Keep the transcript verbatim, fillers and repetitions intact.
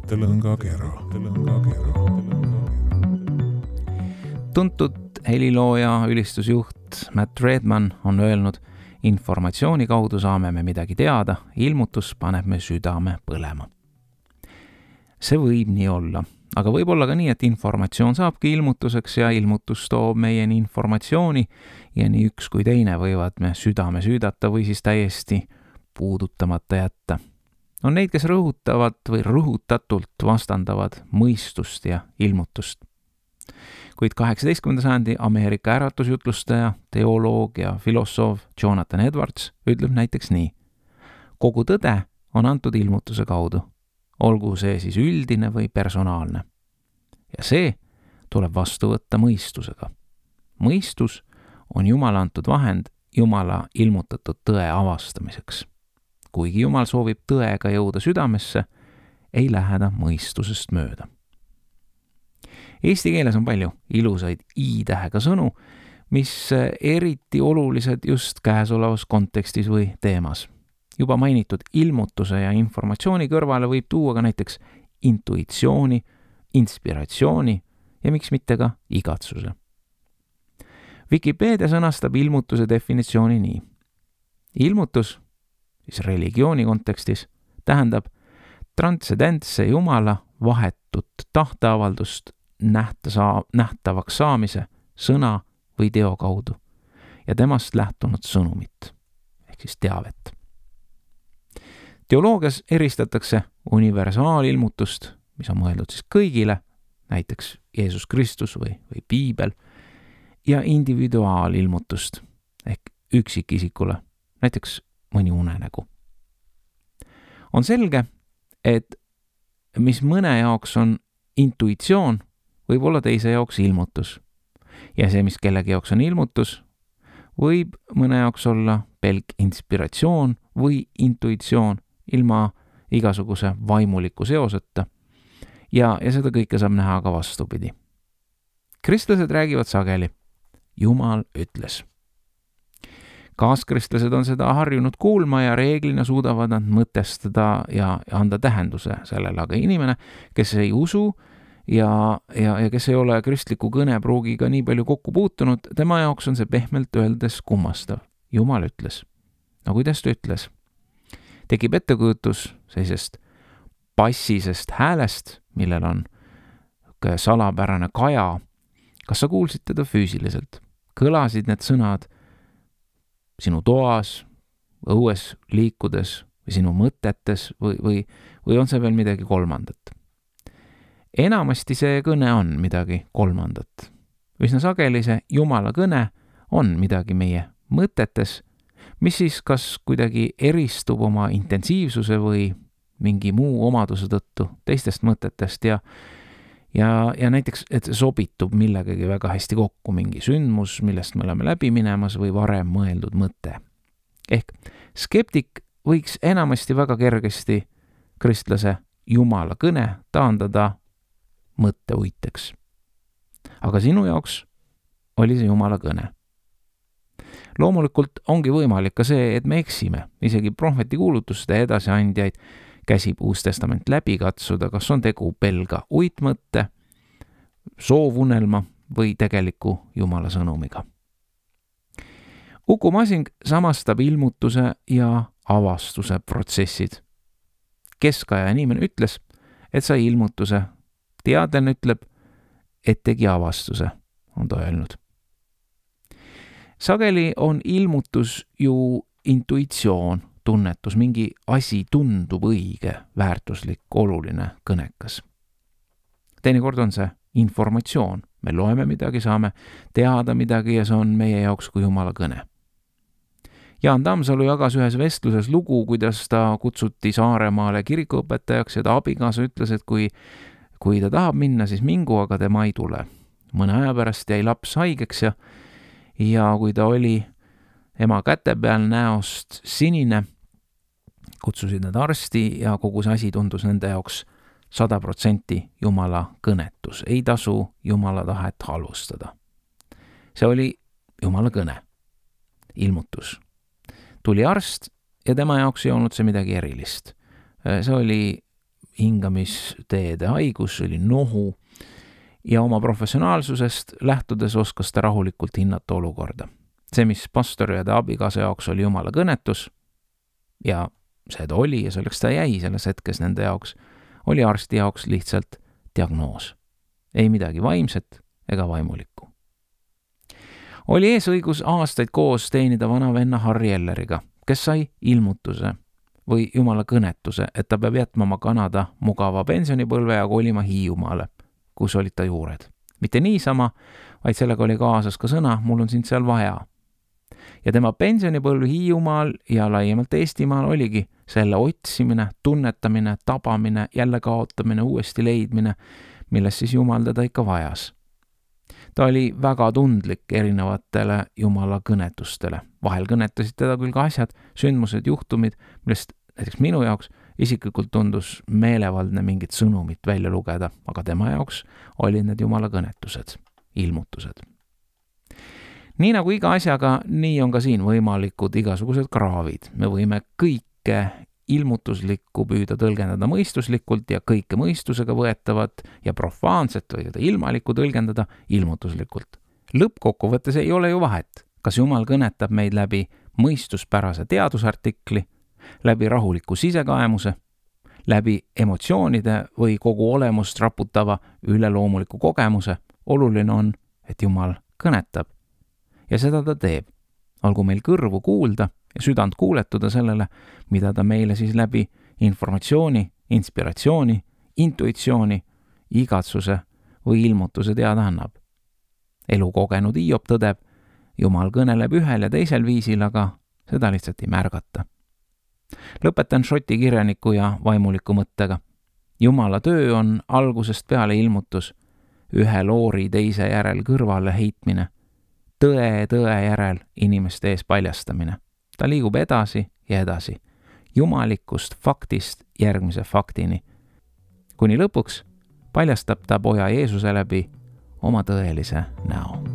mõttelõngakera. Tuntud helilooja ülistusjuht Matt Redman on öelnud, informatsiooni kaudu saame me midagi teada, ilmutus paneb me südame põlema. See võib nii olla, aga võib olla ka nii, et informatsioon saabki ilmutuseks ja ilmutus toob meieni informatsiooni ja nii üks kui teine võivad me südame süüdata või siis täiesti puudutamata jätta. On neid, kes rõhutavad või rõhutatult vastandavad mõistust ja ilmutust. Kuid kaheksateistkümnenda sajandi Ameerika äratusjutlustaja, teoloog ja filosoof Jonathan Edwards ütleb näiteks nii. Kogu tõde on antud ilmutuse kaudu, olgu see siis üldine või personaalne. Ja see tuleb vastu võtta mõistusega. Mõistus on Jumala antud vahend Jumala ilmutatud tõe avastamiseks. Kuigi Jumal soovib tõega jõuda südamesse, ei lähe ta mõistusest mööda. Eesti keeles on palju ilusaid i-tähega sõnu, mis eriti olulised just käesolevas kontekstis või teemas. Juba mainitud ilmutuse ja informatsiooni kõrvale võib tuua ka näiteks intuitsiooni, inspiratsiooni ja miks mitte ka igatsuse. Wikipedia sõnastab ilmutuse definitsiooni nii. Ilmutus, siis religiooni kontekstis, tähendab transcendentse Jumala vahetut tahteavaldust nähta saa, nähtavaks saamise sõna või teo kaudu ja temast lähtunud sõnumit, ehk siis teavet. Teoloogias eristatakse universaalilmutust, mis on mõeldud siis kõigile, näiteks Jeesus Kristus või, või Piibel, ja individuaalilmutust ehk üksikisikule, näiteks mõni unenägu. On selge, et mis mõne jaoks on intuitsioon, võib olla teise jaoks ilmutus. Ja see, mis kellegi jaoks on ilmutus, võib mõne jaoks olla pelk inspiratsioon või intuitsioon ilma igasuguse vaimuliku seoseta. Ja, ja seda kõike saab näha ka vastupidi. Kristlased räägivad sageli, Jumal ütles. Kaaskristlased on seda harjunud kuulma ja reeglina suudavad nad mõtestada ja anda tähenduse sellele, aga inimene, kes ei usu ja, ja, ja kes ei ole kristliku kõnepruugiga nii palju kokku puutunud, tema jaoks on see pehmelt öeldes kummastav. Jumal ütles. No kuidas ta ütles? Tekib ettekujutus sellisest passisest häälest, millel on salapärane kaja. Kas sa kuulsid teda füüsiliselt? Kõlasid need sõnad sinu toas, õues liikudes või sinu mõtetes või, või, või on see veel midagi kolmandat? Enamasti see kõne on midagi kolmandat. Üsna sageli see Jumala kõne on midagi meie mõtetes, mis siis kas kuidagi eristub oma intensiivsuse või mingi muu omaduse tõttu teistest mõtetest ja Ja, ja näiteks, et sobitub millegagi väga hästi kokku mingi sündmus, millest me oleme läbi minemas või varem mõeldud mõte. Ehk skeptik võiks enamasti väga kergesti kristlase Jumala kõne taandada mõtteuiteks. Aga sinu jaoks oli see Jumala kõne. Loomulikult ongi võimalik ka see, et me eksime, isegi prohveti kuulutuste edasiandjaid käsib Uus Testament läbi katsuda, kas on tegu pelga uitmõtte, soovunelma või tegeliku Jumala sõnumiga. Uku Masing samastab ilmutuse ja avastuse protsessid. Keskaja inimene ütles, et sai ilmutuse. Teadlane ütleb, et tegi avastuse, on ta öelnud. Sageli on ilmutus ju intuitsioon, tunnetus, mingi asi tundub õige, väärtuslik, oluline, kõnekas. Teinekord on see informatsioon. Me loeme midagi, saame teada midagi ja see on meie jaoks kui Jumala kõne. Jaan Tammsalu jagas ühes vestluses lugu, kuidas ta kutsuti Saaremaale kirikuõpetajaks ja ta abikaasa ütles, et kui, kui ta tahab minna, siis mingu, aga tema ei tule. Mõne aja pärast jäi laps haigeks ja, ja kui ta oli ema käte peal näost sinine, kutsusid nad arsti ja kogu see asi tundus nende jaoks sada protsenti Jumala kõnetus. Ei tasu Jumala tahet halvustada. See oli Jumala kõne, ilmutus. Tuli arst ja tema jaoks ei olnud see midagi erilist. See oli hingamisteede haigus, oli nohu ja oma professionaalsusest lähtudes oskas ta rahulikult hinnata olukorda. See, mis pastori ja ta abikaasa jaoks oli jumala kõnetus ja see ta oli ja selleks ta jäi selles hetkes nende jaoks, oli arsti jaoks lihtsalt diagnoos. Ei midagi vaimset ega vaimulikku. Oli ees õigus aastaid koos teenida vana venna Harry Elleriga, kes sai ilmutuse või jumala kõnetuse, et ta peab jätma oma Kanada mugava pensionipõlve ja kolima Hiiumaale, kus olid ta juured. Mitte niisama, vaid sellega oli kaasas ka sõna, mul on sind seal vaja. Ja tema pensionipõlv Hiiumaal ja laiemalt Eestimaal oligi selle otsimine, tunnetamine, tabamine, jälle kaotamine, uuesti leidmine, milles siis Jumal teda ikka vajas. Ta oli väga tundlik erinevatele Jumala kõnetustele. Vahel kõnetasid teda küll ka asjad, sündmused, juhtumid, millest näiteks minu jaoks isiklikult tundus meelevaldne mingit sõnumit välja lugeda, aga tema jaoks olid need Jumala kõnetused, ilmutused. Nii nagu iga asjaga, nii on ka siin võimalikud igasugused kraavid. Me võime kõike ilmutuslikku püüda tõlgendada mõistuslikult ja kõike mõistusega võetavat ja profaanset või ilmalikku tõlgendada ilmutuslikult. Lõppkokkuvõttes ei ole ju vahet, kas Jumal kõnetab meid läbi mõistuspärase teadusartikli, läbi rahuliku sisekaemuse, läbi emotsioonide või kogu olemust raputava üleloomuliku kogemuse. Oluline on, et Jumal kõnetab ja seda ta teeb. Olgu meil kõrvu kuulda ja südant kuuletuda sellele, mida ta meile siis läbi informatsiooni, inspiratsiooni, intuitsiooni, igatsuse või ilmutuse teada annab. Elu kogenud Hiob tõdeb, Jumal kõneleb ühel ja teisel viisil, aga seda lihtsalt ei märgata. Lõpetan šoti kirjaniku ja vaimuliku mõttega. Jumala töö on algusest peale ilmutus, ühe loori teise järel kõrvale heitmine, tõe tõe järel inimeste ees paljastamine. Ta liigub edasi ja edasi, jumalikust faktist järgmise faktini. Kuni lõpuks paljastab ta poja Jeesuse läbi oma tõelise näo.